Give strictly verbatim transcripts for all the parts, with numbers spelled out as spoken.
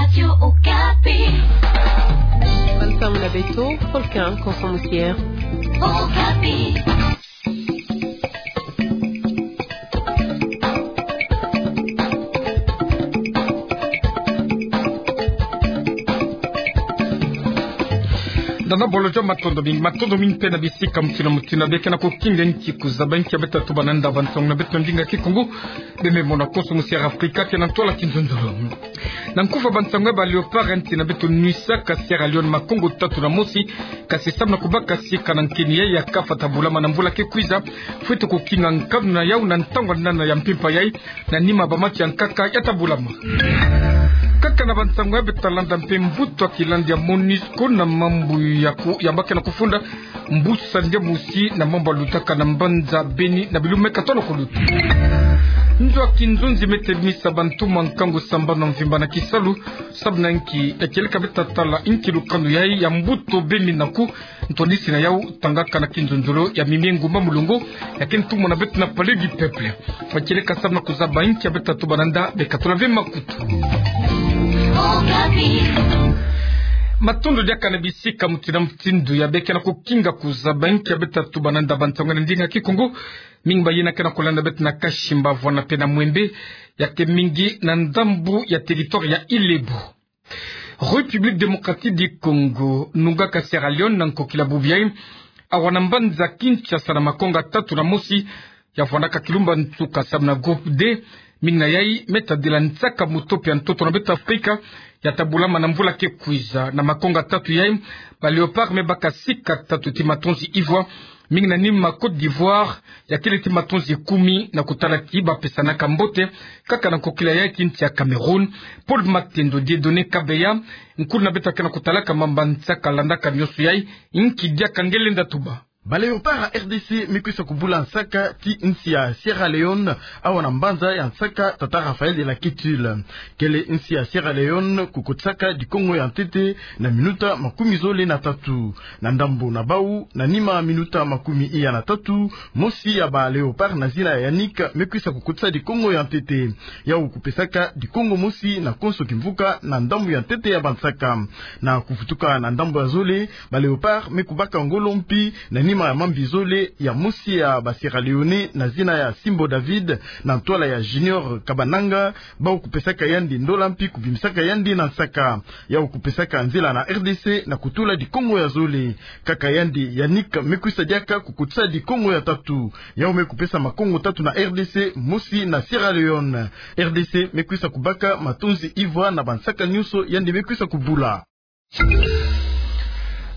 Radio Okapi. Bansangu na beto, Volcan Konso Musier. Okapi. Nana bolo jo matondo mingi, matondo mingi mpe na bisika mutindu na mutindu ya beke na kokinga nki kuzaba nki ya beta tubana nda bansangu na beto ndinga Kikongo. Bembe mona Konso Musier Afrika ke na ntwala kinzonzolo. Na nkufa bansangu ya ba Léopard ya nti na beto nuisaka Sierra Leone makongo tatu na mosi, kasi samu na kubaka sika na nkeni yayi ya kafata bulama na mvula ke kwiza, fwete kokinga nkanu na yau na ntangu ya nana ya mpimpa yayi, na nima ba match ya nkaka yata bulama. Kaka na bansangu ya beta landa mpe mbuta kilandi ya MONUSCO na mambu ya ku-, ya bake na kufunda mbusa ndia mosi na mambu ya lutaka na mbanza Beni na bilumbu me katono kuluta. Nzo ya kinzonzi me telimisa bantu mwa nkangu sambanu ya mvimba na kisalu, samu na nki, ya kieleka beta tala nki lukanu yayi ya mbuta Beni na ku ntondisi na yau tangaka na kinzonzolo ya mimi ngumba mulongo, ya ke ntumwa na beto na Palais du Peuple. Ba kieleka samu na kuzaba nki ya beta tubana nda, bekatula ve makutu. Matondo diaka na bisika mutindu na mutindu ya beke na kokinga kuzaba nki ya beta tubana nda bansangu na ndinga Kikongo. Mingi bayina ke na kolanda beto na Kashimba, Voana mpe na Mwembe, ya ke mingi na ndambu ya territoire ya Ile-Ebou. République Démocratique du Congo nungaka Sierra Leone na nkokila bubu yayi, awa na mbanza Kinshasa na makonga tatu na mosi, ya vwandaka kilumba nsuka samu na groupe D. Mingi na yayi me tadila nsaka mutopi ya ntoto na beto Afrika, yata bulama na mvula ke kwiza. Na makonga tatu yayi, ba Léopard me baka sika tatu ti matonzi ivwa, mingi na nima Côte d'Ivoire, ya kele ti matonzi kumi na kutala ti ba pesanaka mbote, kaka na nkokila yayi ti nsi ya Cameroun. Paul Matendo, Dieudonné Kabeya, nkulu na beto ke na kutalaka mambu ya nsaka, landaka nionso yayi, nki diaka nge lenda tuba. Ba Léopard ya R D C me kwisa kubula nsaka ti nsi ya Sierra Leone, awa na mbanza ya nsaka Tata Raphaël de la Quetule. Kele nsi ya Sierra Leone kukotisaka dikongo ya ntete na minuta makumi zole na tatu. Na ndambu na bau, na nima minuta makumi iya na tatu, mosi ya ba Léopard na zina ya Yannick me kwisa kukotisa dikongo ya ntete. Yau kupesaka dikongo mosi na konso kimvuka na ndambu ya ntete ya bansaka. Na kuvutuka na ndambu ya zole, ba Léopard me kubaka ngolo mpi na nima ya mambi zole, ya mosi ya ba Sierra Leone na zina ya Simbo David, na ntwala ya Junior Kabananga, bau kupesaka yandi ndola mpi kubimisaka yandi na nsaka. Yau kupesaka nzila na R D C na kutula dikongo ya zole. Kaka yandi Yannick me kwisa diaka kukotisa dikongo ya tatu. Yau me kupesa makongo tatu na R D C, mosi na Sierra Leone. R D C me kwisa kubaka matonzi ivwa na bansaka nionso yandi me kwisa kubula.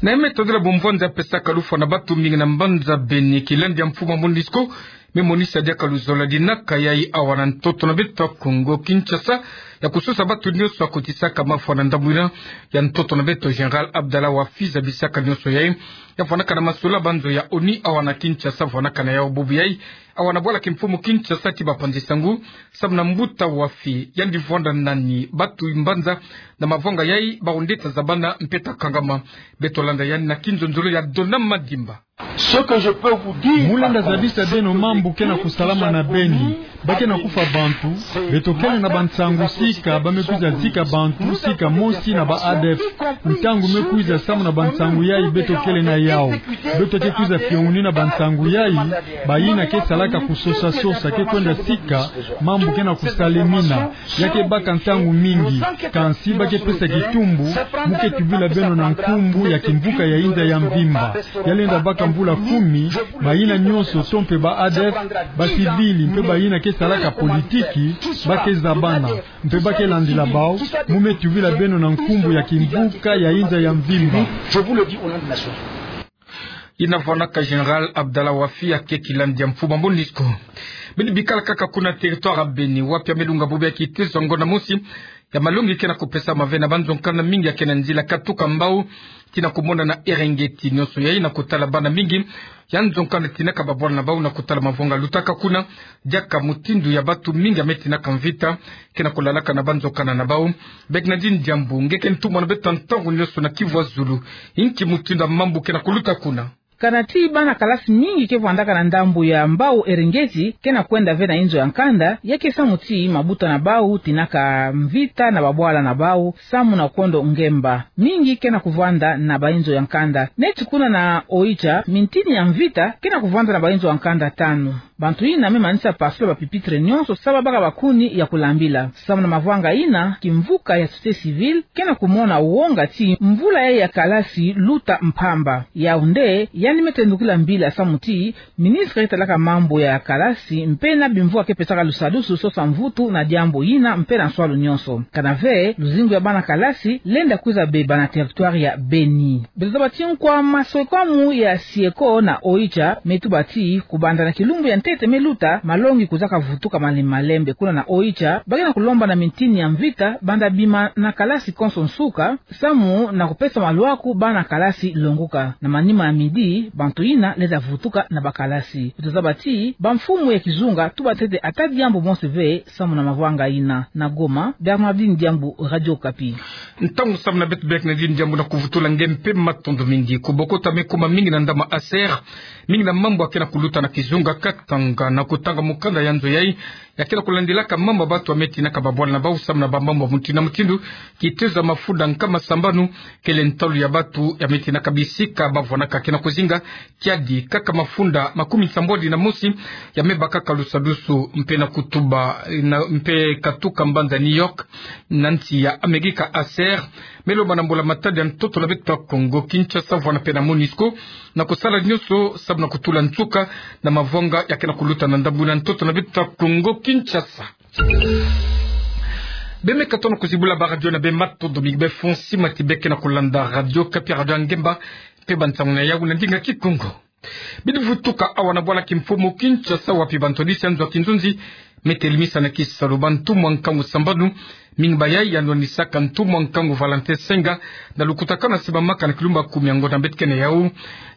Na ye me tadila bumvwandi ya pesaka lufwa na batu mingi na mbanza Beni, kilandi ya mfumu ya MONUSCO me monisa diaka luzolo ya dinaka yayi awa na ntoto na beto Kongo Kinshasa, ya kusosa batu nionso ya kotisaka mafwa na ndambu yina ya ntoto na beto. Général Abdallah Wafi zabisaka nionso yayi, ya vwandaka na masolo ya banzo ya ONU awa na Kinshasa, vwandaka na yau bubu yayi awa na bwala kimfumu Kinshasa ti bapanzi sangu, samu na mbuta Wafi, yandi vwanda nani batu mbanza na mavanga yayi, bau nde ta zabana mpe ta kangama. Beto landa yandi na kinzonzolo ya Dona Madimba. Ce que je peux vous dire, mu lenda zabisa beno mambu ke na kusalama na Beni, ba ke na kufwa bantu, beto kele na bansangu sika ba me kwiza zika bantu sika mosi na ba ADF. Ntangu me kwiza samu na bansangu yayi beto kele na yau. Beto ke kwiza fiongunina bansangu yayi, bayina ke salaka kusosa-sosa ke kwenda sika mambu ke na kusalemina. Ya ke baka ntangu mingi, kansi ba ke pesa kitumbu, mu ke tubila beno na nkumbu ya kimvuka ya inza ya mvimba. Ya lenda baka mvula kumi, bayina nionso to mpe ba ADF, ba civil mpe bayina ke salaka politiki, ba ke zabana. Mpe ba ke landila bau, mu me tubila beno na nkumbu ya kimvuka ya inza ya mvimba. Je vous le dis au nom de la nation. Yina vwanaka Général Abdallah Wafi, ya ke kilandi ya mfumu ya MONUSCO. Beni bikala kaka kuna territoire ya Beni, wapi ya me lunga bubu yayi kitezo ya ngonda mosi ya malongi ke na kupesama ve na banzo nkanda mingi ya ke na nzila katuka mbau tii na kumona na Erengeti. Nionso yayi na kutala bana mingi ya nzo nkanda tinaka babwana na bau na kutala mavanga lutaka kuna, diaka mutindu ya batu mingi ya me tinaka mvita ke na kulalaka na banzo nkanda na bau. Bernardine Diambu, nge ke ntumwa na beto ntangu nionso na Kivu ya Zulu, nki mutindu ya mambu ke na kuluta kuna? Kana ti bana kalasi mingi ke vwandaka na ndambu ya Mbau Eringeti, ke na kwenda ve na inzo ya nkanda, ya ke samu ti mabuta na bau tinaka mvita na babwala na bau, samu na kondo ngemba. Mingi ke na kuvwanda na bainzo ya nkanda. Neti kuna na Oicha, mintini ya mvita ke na kuvwanda na bainzo ya nkanda tanu. Bantu yina me manisa pasula ba pupitre nyonso, sa babaka bakuni ya kulambila. Samu na mavwanga yina, kimvuka ya société civile ke na kumona wonga ti mvula yayi ya kalasi luta mpamba. Yaoundé, yandi me tendukila mbila samu ti ministre ke talaka mambu ya kalasi mpe na bimvwama ke pesaka lusadusu sosa mvutu na diambu yina mpe na nswalu nyonso. Kana ve, luzingu ya bana kalasi lenda kwiza beba na territoire ya Beni. Beto zaba ti nkwa maswekamu ya Sieko na Oicha me tuba ti, kubanda na kilumbu ya ntete me luta, malongi kuzaka vutuka malembe malembe. Kuna na Oicha, ba ke na kulomba na mintini ya mvita banda bima na kalasi konso nsuka, samu na kupesa maluaku bana kalasi longuka. Na manima ya midi, bantu yina lenda vutuka na bakalasi. Beto zaba ti bamfumu ya kizunga tuba ntete ata diambu mosi ve samu na mavwanga yina. Na Goma, Bernardine Diambu, Radio Okapi. Ntangu samu na beto Bernardine Diambu na kuvutula nge mpe matondo mingi. Kubokota me kuma mingi na ndama Aser, mingi na mambu ya ke na kuluta na kizunga, Katanga, na kutanga mukanda ya nzo yayi ya ke na kulandilaka mambu ya bantu ya me tinaka babwala na bau samu na bamambu ya mutindu na mutindu. Kitezo ya mafunda nkama sambanu kele ntalu ya bantu ya me tinaka bisika ba vwanaka ke na kuzinga. Kiadi kaka mafunda makumi nsambwadi na mosi ya me bakaka lusadusu mpe na kutuba na, mpe katuka mbanza New York, na nsi ya Amerika, Aser me lomba na mbula-matadi ya ntoto na beto ya Kongo Kinshasa, vwana mpe na MONUSCO, na kusala nyonso samu na kutula nsuka na mavwanga ya ke na kuluta na ndambu na ntoto na beto ya Kongo Kinshasa. Be me katono kuzibula ba radio na be, matondo mingi be fo nsima ti be ke na kulanda Radio Okapi, radio ya ngemba mpe bansangu na yawu na ndinga Kikongo. Bidi vutuka awa na bwala kimfumu Kinshasa, wapi bantwadisi ya nzo ya kinzonzi me telemisa na kisalu bantumwa nkangu sambanu. Mingi ba yayi ya nwanisaka ntumwa nkangu Valentin Senga na lukutakanu ya se bamaka na kilumbu ya kumi ya ngonda beto ke na yawu.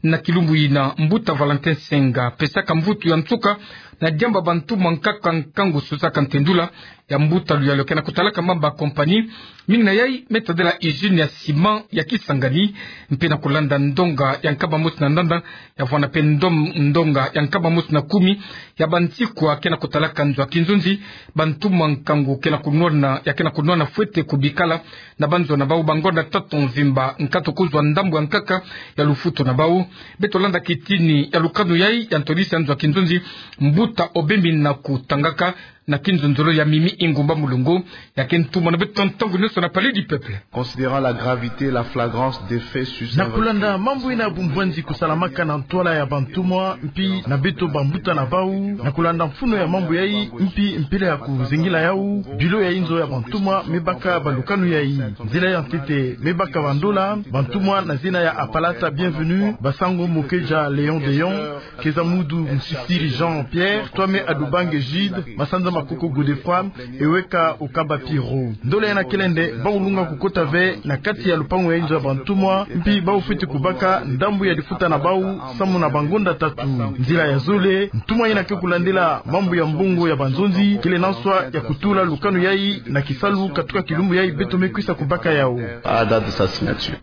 Na kilumbu yina, mbuta Valentin Senga pesaka mvutu ya nsuka na diambu ya bantumwa nkaka nkangu sosaka ntendula ya mbuta luyalu ke na kutalaka mambu ya compagnie. Mingi na yayi me tadila usine ya ciment ya Kisangani, mpe na kulanda ndonga ya nkama mosi na ndanda, ya vwana mpe ndom-, ndonga ya nkama mosi na kumi ya bansikwa ke na kutalaka nzo ya kinzonzi. Bantumwa nkangu ke na kunwana, ya ke na kunwana fwete kubikala na banzo na bau bangonda tatu mvimba, nkato kuzwa ndambu ya nkaka ya lufutu na bau. Beto landa kitini ya lukanu yayi ya ntwadisi ya nzo ya kinzonzi, mbuta Obembi na kutangaka na kinzonzolo ya Mimi Ingumba Mulongo, ya ke ntumwa na beto ntangu nyonso na Palais du Peuple. Considérant la gravité et la flagrance des faits sur... Na kulanda mambu yina bumbwanzi kusalamaka na ntwala ya bantumwa mpi na beto bambuta na bau, na kulanda mfunu ya mambu yayi mpi mpila ya kuzingila yawu, bilo ya inzo ya bantumwa me baka balukanu yayi. Nzila ya ntete me baka bandola, bantumwa na zina ya Apalata Bienvenu, Basango Mokeja Léon Déon, Kezamudu Musisiri Jean-Pierre, Twame Adubange Jude, Masanza Makoko Godefroid, Eweka Okaba Pierrot. Ndola yina kele nde bau lunga kukota ve na kati ya lupangu ya inzo ya bantumwa, mpi bau fwete kubaka ndambu ya lifuta na bau samu na bangonda tatu. Nzila ya zole, ntumwa yina ke kulandila mambu ya mbongo ya banzonzi kele na nswa ya kutula lukanu yayi na kisalu katuka kilumbu yayi beto me kwisa kubaka yawu. À la date de sa signature.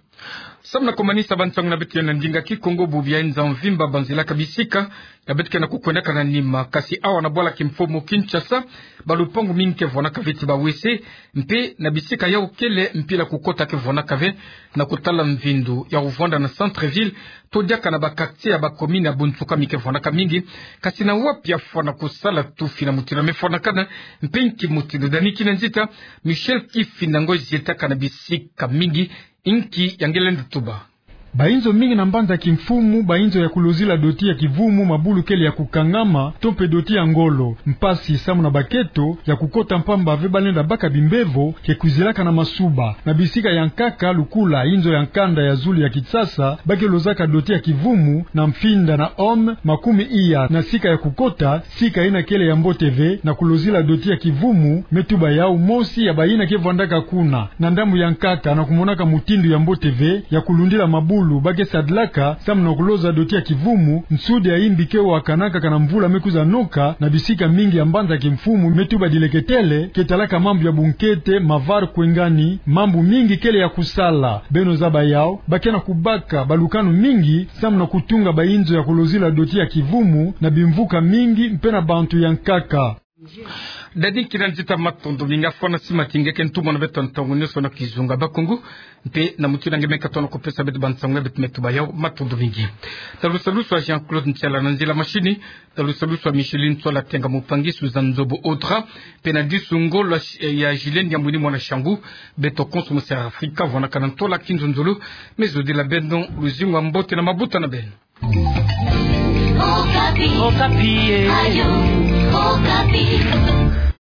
Samu na kumanisa bansangu na beto ya na ndinga Kikongo, bubu ya nza mvimba banzilaka bisika ya beto ke na kukwendaka na nima. Kasi awa na bwala kimfumu Kinshasa, balupangu mingi ke vwanaka ve ti ba W C, mpe na bisika yawu kele mpila kukota ke vwanaka ve, na kutala mvindu ya kuvwanda na centre-ville, to diaka na ba quartier ya ba commune ya bunsuka mi ke vwanaka mingi. Kasi na wapi ya fwana kusala tufi na mutindu me fwanakana, mpe nki mutindu? Dani Kinanzita, Michel Kifinda Ngozi, zietaka na bisika mingi, nki ya nge lenda tuba? Bainzo mingi na mbanza kimfumu, bainzo ya kulozila doti ya kivumu, mabulu kele ya kukangama, to mpe doti ya ngolo. Mpasi samu na baketo ya kukota mpamba ve, balenda baka bimbevo ke kwizilaka na masuba. Na bisika ya nkaka lukula inzo ya nkanda ya zulu ya Kinshasa, ba ke lozaka doti ya kivumu na mfinda na home makumi iya na sika ya kukota, sika yina kele ya mbote ve na kulozila doti ya kivumu, me tuba yawu mosi ya bayina ke vwandaka kuna. Na ndambu ya nkaka na kumonaka mutindu ya mbote ve ya kulundila mabulu Lubake sadilaka samu na kuloza doti ya kivumu, nsudi ya imbi ke wakanaka kana mvula me kwiza noka na bisika mingi ya mbanza kimfumu me tuba dileketele, ke talaka mambu ya bunkete, mavar kwe ngani mambu mingi kele ya kusala. Beno zaba yau, bakena kubaka balukanu mingi samu na kutunga bainzo ya kulozila doti ya kivumu na bimvuka mingi mpe na bantu ya nkaka. Dadi kina nzita, matondo mingi. Afona sima tingeke ntumwa na beto ntangu nyonso na Kizunga Bakongo. Mpe na mutindu nge me katona kupesa beto bansangu ya beto me tuba yau, matondo mingi. Talusalusu a Jean-Claude Ntiala na nzila mashini. Talusalusu a Micheline Tsola Tenga, mupangi Suzanne Nzobo Audra. Mpe na disu ngolo ya Julien Diambuini mwana Shangu. Beto konso mu Sera Afrika, vwanakana ntola kinzonzolo. Me zodila beno luzingu ya mbote na mabuta na beno. Okapi. Okapi, eh. Ayo, Okapi.